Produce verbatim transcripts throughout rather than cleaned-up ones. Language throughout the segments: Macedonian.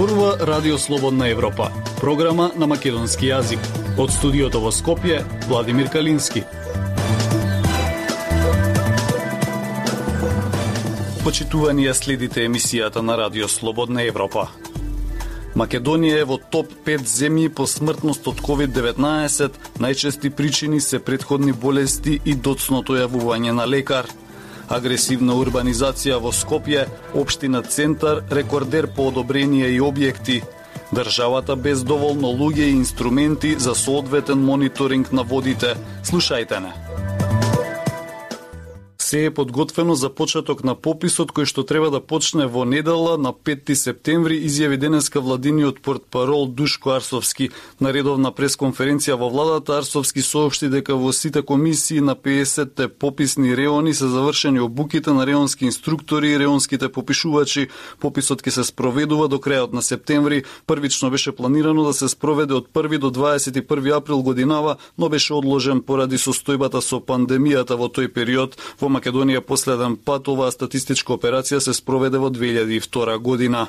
Зборува Радио Слободна Европа, програма на македонски јазик. Од студиото во Скопје, Владимир Калински. Почитувани ја следите емисијата на Радио Слободна Европа. Македонија е во топ пет земји по смртност од ковид деветнаесет, најчести причини се претходни болести и доцното јавување на лекар. Агресивна урбанизација во Скопје, општина Центар, рекордер по одобрение и објекти. Државата без доволно луѓе и инструменти за соодветен мониторинг на водите. Слушајте не. Се е подготвено за почеток на пописот кој што треба да почне во недела на петти септември, изјави денеска владиниот портпарол Душко Арсовски. На редовна пресконференција во владата Арсовски соопшти дека во сите комисии на пеесетте пописни реони се завршени обуките на реонски инструктори и реонските попишувачи. Пописот ќе се спроведува до крајот на септември. Првично беше планирано да се спроведе од први до дваесет и први април годинава, но беше одложен поради состојбата со пандемијата во тој период. Во Македонија последен пат оваа статистичка операција се спроведе во две илјади и втора година.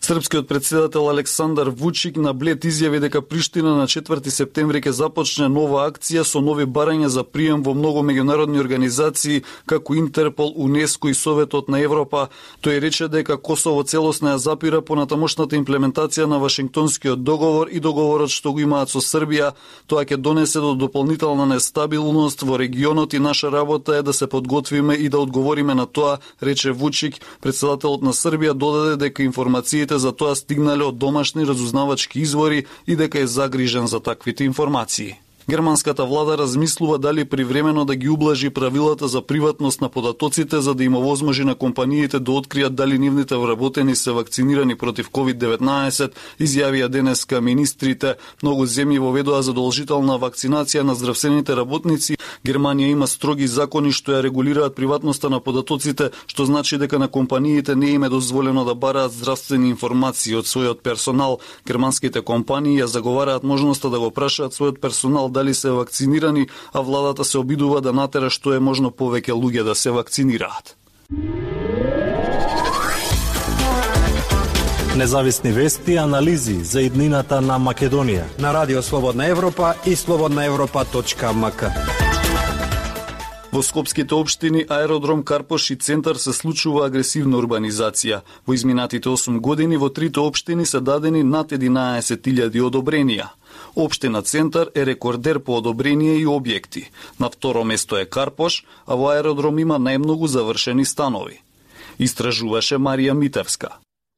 Српскиот председател Александар Вучик на Блед изјави дека Приштина на четврти септември ќе започне нова акција со нови барања за прием во многу меѓународни организации како Интерпол, УНЕСКО и Советот на Европа. Тој рече дека Косово целосно ја запира понатамошната имплементација на Вашингтонскиот договор и договорот што го имаат со Србија. Тоа ќе донесе до дополнителна нестабилност во регионот и наша работа е да се подготвиме и да одговориме на тоа, рече Вучик. Председателот на Србија додаде дека информациите за тоа стигнале од домашни разузнавачки извори и дека е загрижен за таквите информации. Германската влада размислува дали привремено да ги ублажи правилата за приватност на податоците за да им овозможи на компаниите да откријат дали нивните вработени се вакцинирани против ковид деветнаесет, изјавија денеска министрите. Многу земји воведоа задолжителна вакцинација на здравствените работници. Германија има строги закони што ја регулираат приватноста на податоците, што значи дека на компаниите не им е дозволено да бараат здравствени информации од својот персонал. Германските компании ја заговараат можноста да го прашаат својот персонал дали се вакцинирани, а владата се обидува да натера што е можно повеќе луѓе да се вакцинираат. Независни вести и анализи за иднината на Македонија на Радио Слободна Европа и слободна европа точка ем ка. Во скопските општини Аеродром, Карпош и Центар се случува агресивна урбанизација. Во изминатите осум години во трите општини се дадени над единаесет илјади одобренија. Општина Центар е рекордер по одобрение и објекти. На второ место е Карпош, а во Аеродром има најмногу завршени станови. Истражуваше Марија Митевска.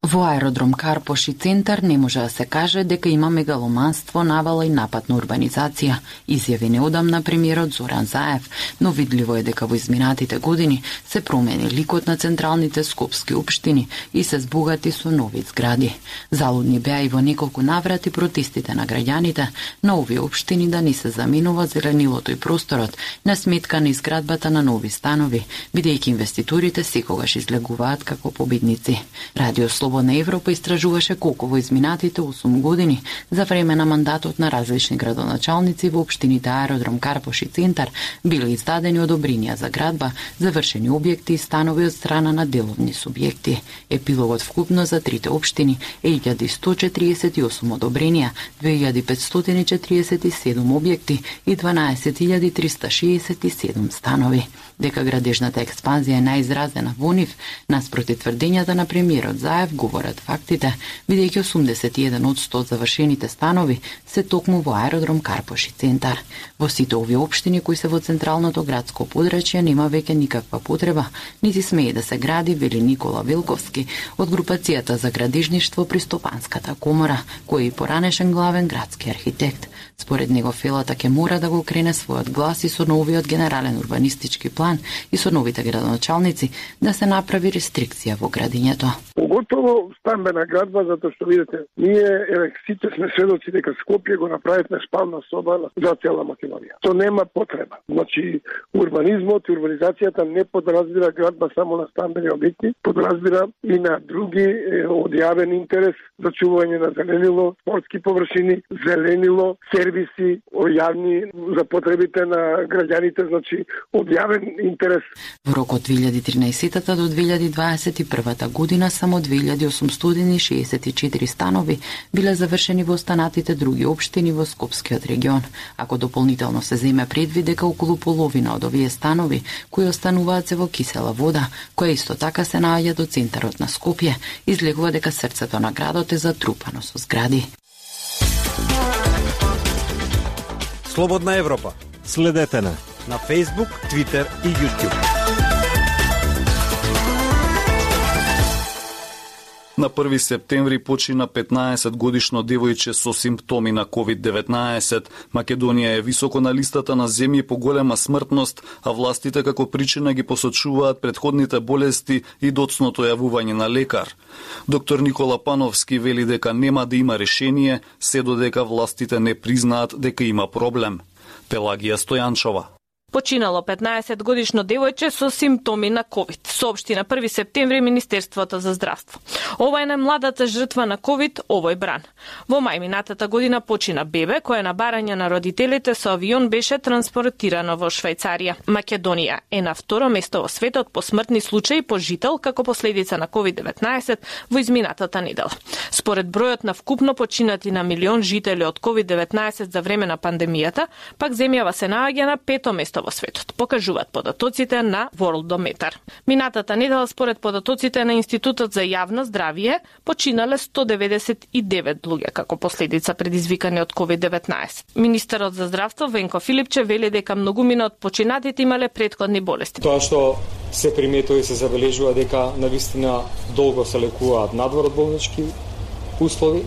Во Аеродром Карпош и Центар не може да се каже дека има мегаломанство, навала и нападна урбанизација, изјави неодамна премиерот Зоран Заев, но видливо е дека во изминатите години се промени ликот на централните скопски општини и се збогати со нови згради. Залудни беа и во неколку наврати протестите на граѓаните на овие општини да не се заминува зеленилото и просторот на сметка на изградбата на нови станови, бидејќи инвеститорите секогаш излегуваат како победници. Радио Слободна Европа истражуваше колку во изминатите осум години за време на мандатот на различни градоначалници во општините Аеродром, Карпош и Центар биле издадени одобренија за градба, завршени објекти и станови од страна на деловни субјекти. Епилогот вкупно за трите општини е илјада сто четиридесет и осум одобренија, две илјади петстотини четиридесет и седум објекти и дванаесет илјади триста шеесет и седум станови. Дека градежната експанзија е најизразена во нив, наспроти тврдењата на премиерот Заев, говорат фактите, бидејќи осумдесет и еден одсто од завршените станови се токму во Аеродром, Карпош и Центар. Во сите овие општини кои се во централното градско подрачје нема веќе никаква потреба, нити смее да се гради, вели Никола Велковски од групацијата за градежништво при Стопанската комора, кој е и поранешен главен градски архитект. Според него Фелата ќе мора да го крене својот глас и со новиот генерален урбанистички план и со новите градоначалници да се направи рестрикција во градењето. Поготово стамбена градба, затоа што видите, ние еве сите сме сведоци дека Скопје го направивме спална соба за цела Македонија. То нема потреба. Значи, урбанизмот и урбанизацијата не подразбира градба само на стамбени објекти, подразбира и на други од јавен интерес за чување на зеленило, спортски површини, зеленило, сервиси јавни за потребите на граѓаните, значи од јавен интерес. Во рок од две илјади и тринаесета до две илјади дваесет и прва година само две илјади илјади осумстотини шеесет и четири станови биле завршени во останатите други општини во Скопскиот регион, ако дополнително се земе предвид дека околу половина од овие станови кои остануваат се во кисела вода, која исто така се наоѓа до центарот на Скопје, излегува дека срцето на градот е затрупано со згради. Слободна Европа. Следете на на Facebook, Twitter и YouTube. На први септември почина петнаесет годишно девојче со симптоми на ковид деветнаесет. Македонија е високо на листата на земји по голема смртност, а властите како причина ги посочуваат претходните болести и доцното јавување на лекар. Доктор Никола Пановски вели дека нема да има решение, се додека властите не признаат дека има проблем. Пелагија Стојанчова. Починало петнаесет годишно девојче со симптоми на ковид, соопшти на први септември Министерството за здравство. Ова е најмладата жртва на ковид овој бран. Во мај минатата година почина бебе кој на барање на родителите со авион беше транспортирано во Швајцарија. Македонија е на второ место во светот по смртни случаи по жител како последица на ковид деветнаесет во изминатата недела. Според бројот на вкупно починати на милион жители од ковид деветнаесет за време на пандемијата, пак земјава се наоѓа на пето место во светот, покажуваат податоците на Worldometer. Минатата недела според податоците на Институтот за јавно здравје починале сто деветдесет и девет луѓе како последица предизвикани од ковид деветнаесет. Министерот за здравство Венко Филипче вели дека многумина од починатите имале претходни болести. Тоа што се приметува и се забележува дека навистина долго се лекуваат надвор од болнички услови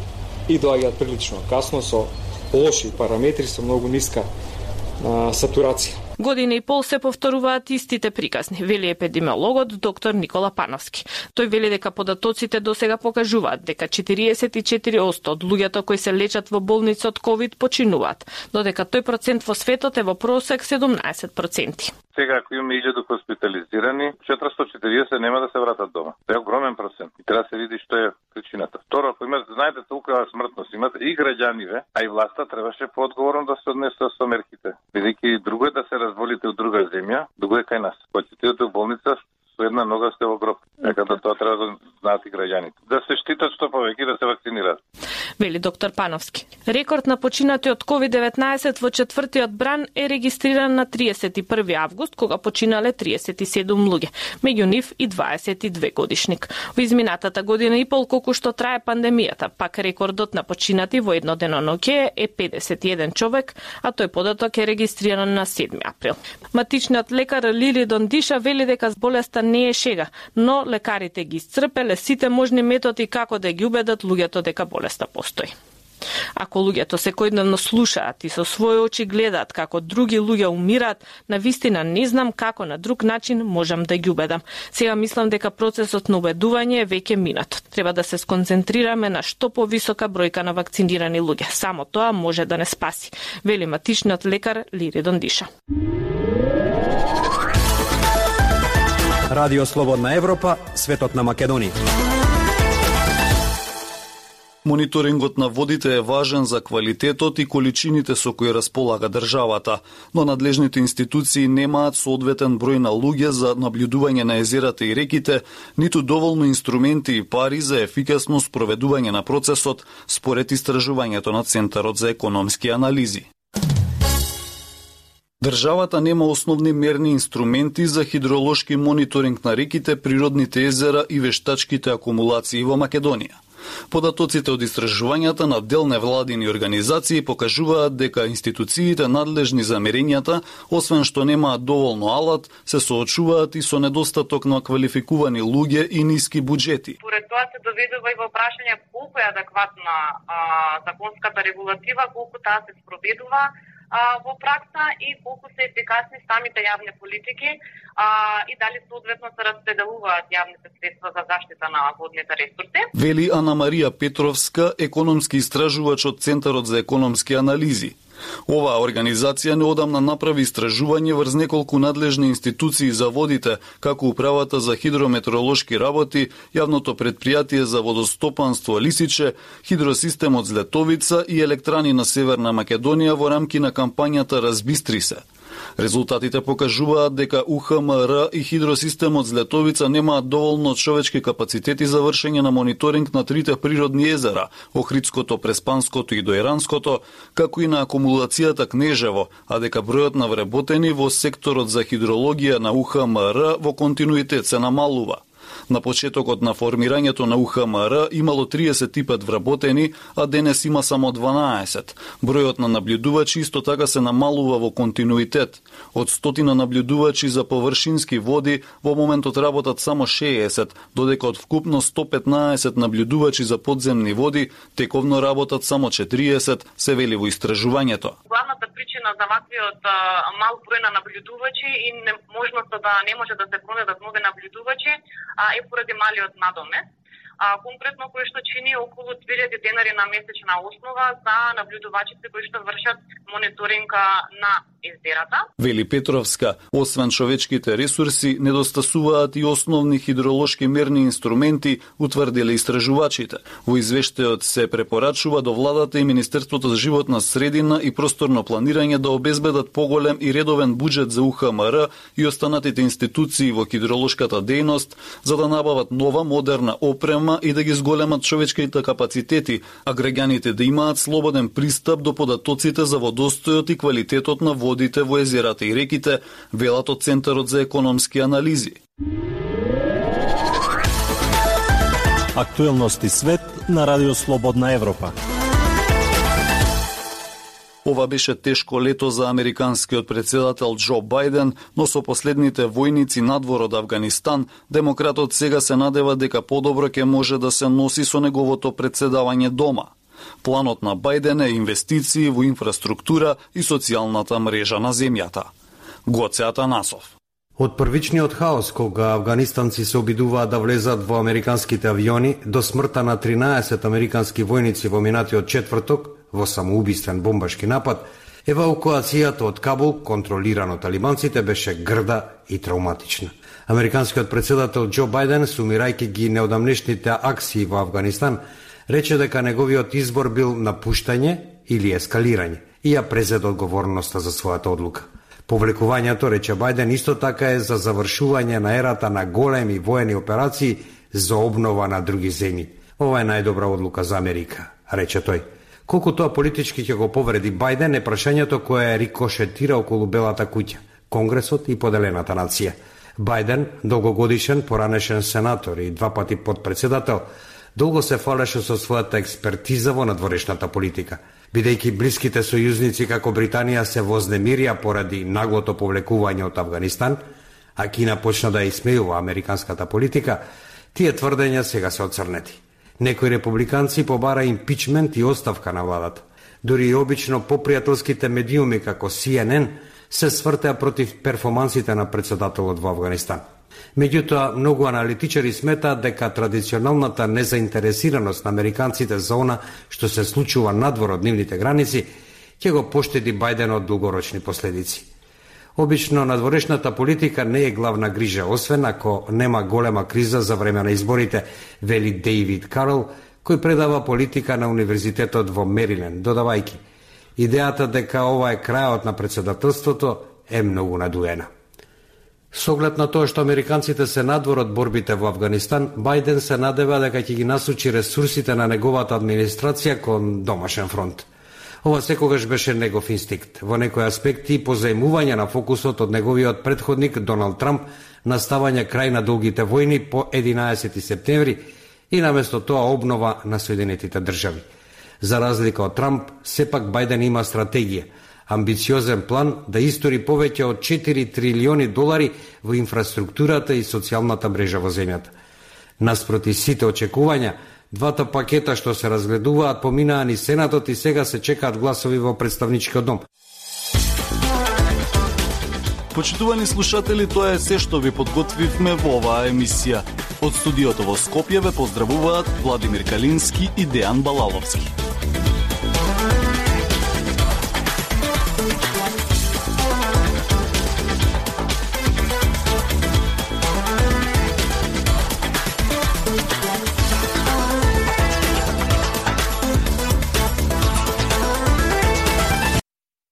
и доаѓаат прилично касно со лоши параметри, со многу ниска а, сатурација. Година и пол се повторуваат истите приказни, вели епидемиологот доктор Никола Пановски. Тој вели дека податоците досега покажуваат дека четириесет и четири одсто од луѓето кои се лечат во болница од ковид починуваат, додека тој процент во светот е во просек седумнаесет проценти. Сега ако имаме илјада хоспитализирани, четиристотини и четириесет нема да се вратат дома. Тоа е огромен процент и треба да се види што е причината. Второ, ако имате, знаете, толкова смртност имате и граѓаниве, а и власта требаше поодговорно да се однесе со мерките. Бидејќи друго е да се разволите од друга земја, друго е кај нас. Кога ќе отидете во болница, со една нога сте во гроб. Дека да тоа треба да знаат и граѓаните. Да се штитат што повеќе да се вакцинираат. Вели доктор Пановски. Рекорд на починати од ковид деветнаесет во четвртиот бран е регистриран на триесет и први август, кога починале триесет и седум луѓе, меѓу нив и дваесет и две годишник. Во изминатата година и пол колку што трае пандемијата, пак рекордот на починати во едно деноноќе е педесет и еден човек, а тој податок е регистриран на седми април. Матичниот лекар Лили Дондиша вели дека болеста не е шега, но лекарите ги исцрпеле сите можни методи како да ги убедат луѓето дека болеста постои. Ако луѓето секојдневно слушаат и со своји очи гледаат како други луѓе умираат, навистина не знам како на друг начин можам да ги убедам. Сега мислам дека процесот на убедување е веќе минат. Треба да се сконцентрираме на што повисока бројка на вакцинирани луѓе. Само тоа може да не спаси, вели матичниот лекар Лири Дондиша. Радио Слободна Европа, светот на Македонија. Мониторингот на водите е важен за квалитетот и количините со кои располага државата, но надлежните институции немаат соодветен број на луѓе за наблюдување на езерата и реките, ниту доволно инструменти и пари за ефикасно спроведување на процесот, според истражувањето на Центарот за економски анализи. Државата нема основни мерни инструменти за хидролошки мониторинг на реките, природните езера и вештачките акумулации во Македонија. Податоците од истражувањата на дел невладини организации покажуваат дека институциите надлежни за мерењата, освен што немаат доволно алат, се соочуваат и со недостаток на квалификувани луѓе и ниски буџети. Поред тоа се доведува и во прашање колку е адекватна а, законската регулатива, колку таа се спроведува во пракса и колку се ефикасни самите јавни политики а, и дали соодветно се распределуваат јавните средства за заштита на водните ресурси. Вели Ана Марија Петровска, економски истражувач од Центарот за економски анализи. Оваа организација неодамна направи истражување врз неколку надлежни институции за водите, како Управата за хидрометеоролошки работи, Јавното предпријатие за водостопанство Лисиче, Хидросистемот Злетовица и електрани на Северна Македонија во рамки на кампањата Разбистри се. Резултатите покажуваат дека У Х М Р и хидросистемот Злетовица немаат доволно човечки капацитети за вршење на мониторинг на трите природни езера, Охридското, Преспанското и Дојранското, како и на акумулацијата Кнежево, а дека бројот на вработени во секторот за хидрологија на У Х М Р во континуитет се намалува. На почетокот на формирањето на У Х М Р имало триесет и пет вработени, а денес има само дванаесет. Бројот на наблюдувачи исто така се намалува во континуитет. Од стотина наблюдувачи за површински води во моментот работат само шеесет, додека од вкупно сто петнаесет наблюдувачи за подземни води тековно работат само четириесет, се вели во истражувањето. Главната причина за ваквиот мал број на наблюдувачи и неможноста да не може да се пронајдат нови наблюдувачи е поради малиот надомет, а конкретно кој што чини околу две илјади денари на месечна основа за наблюдувачите кои што вршат мониторинга на езерата. Вели Петровска, освен човечките ресурси, недостасуваат и основни хидролошки мерни инструменти, утврдиле истражувачите. Во извештајот се препорачува до владата и Министерството за животна средина и просторно планирање да обезбедат поголем и редовен буџет за У Х М Р и останатите институции во хидролошката дејност, за да набават нова модерна опрема и да ги зголемат човечките капацитети, а граѓаните да имаат слободен пристап до податоците за водостојот и квалитетот на водите во езерата и реките, велат од Центарот за економски анализи. Актуелности свет на Радио Слободна Европа. Ова беше тешко лето за американскиот председател Џо Бајден, но со последните војници надвор од Авганистан, демократот сега се надева дека подобро ќе може да се носи со неговото председавање дома. Планот на Бајден е инвестиции во инфраструктура и социјалната мрежа на земјата. Гоце Атанасов. Од првичниот хаос кога афганистанци се обидуваат да влезат во американските авиони до смртта на тринаесет американски војници во минатиот четврток во самоубиствен бомбашки напад, евакуацијата од Кабул, контролирано од талибанците, беше грда и травматична. Американскиот председател Џо Бајден, сумирајќи ги неодамнешните акции во Афганистан, рече дека неговиот избор бил напуштање или ескалирање и ја презеде одговорноста за својата одлука. Повлекувањето, рече Бајден, исто така е за завршување на ерата на големи воени операции за обнова на други земји. Ова е најдобра одлука за Америка, рече тој. Колку тоа политички ќе го повреди Бајден е прашањето кое рикошетира околу Белата куќа, Конгресот и поделената нација. Бајден, долгогодишен поранешен сенатор и два пати подпредседател, долго се фалеше со својата експертиза во надворешната политика. Бидејќи блиските сојузници како Британија се вознемирија поради наглото повлекување од Афганистан, а Кина почна да исмејува американската политика, тие тврдења сега се оцрнети. Некои републиканци побара импичмент и оставка на владата. Дури и обично попријателските медиуми како Си Ен Ен се свртеа против перформансите на председателот во Афганистан. Меѓутоа, многу аналитичари сметаат дека традиционалната незаинтересираност на американците за она што се случува надвор од нивните граници ќе го поштеди Бајден од долгорочни последици. Обично, надворешната политика не е главна грижа, освен ако нема голема криза за време на изборите, вели Дејвид Карл, кој предава политика на Универзитетот во Мериленд, додавајќи: идејата дека ова е крајот на председателството е многу надуена. Со оглед на тоа што американците се надвор од борбите во Афганистан, Бајден се надева дека ќе ги насочи ресурсите на неговата администрација кон домашен фронт. Ова секогаш беше негов инстинкт. Во некои аспекти позајмување на фокусот од неговиот претходник Доналд Трамп на ставање крај на долгите војни по единаесети септември и наместо тоа обнова на Соединетите држави. За разлика од Трамп, сепак Бајден има стратегија, амбициозен план да истори повеќе од четири трилиони долари во инфраструктурата и социјалната мрежа во земјата. Наспроти сите очекувања, двата пакета што се разгледуваат поминаа ни Сенатот и сега се чекаат гласови во Представничкиот дом. Почитувани слушатели, тоа е се што ви подготвивме во оваа емисија. Од студиото во Скопје ве поздравуваат Владимир Калински и Дејан Балаловски.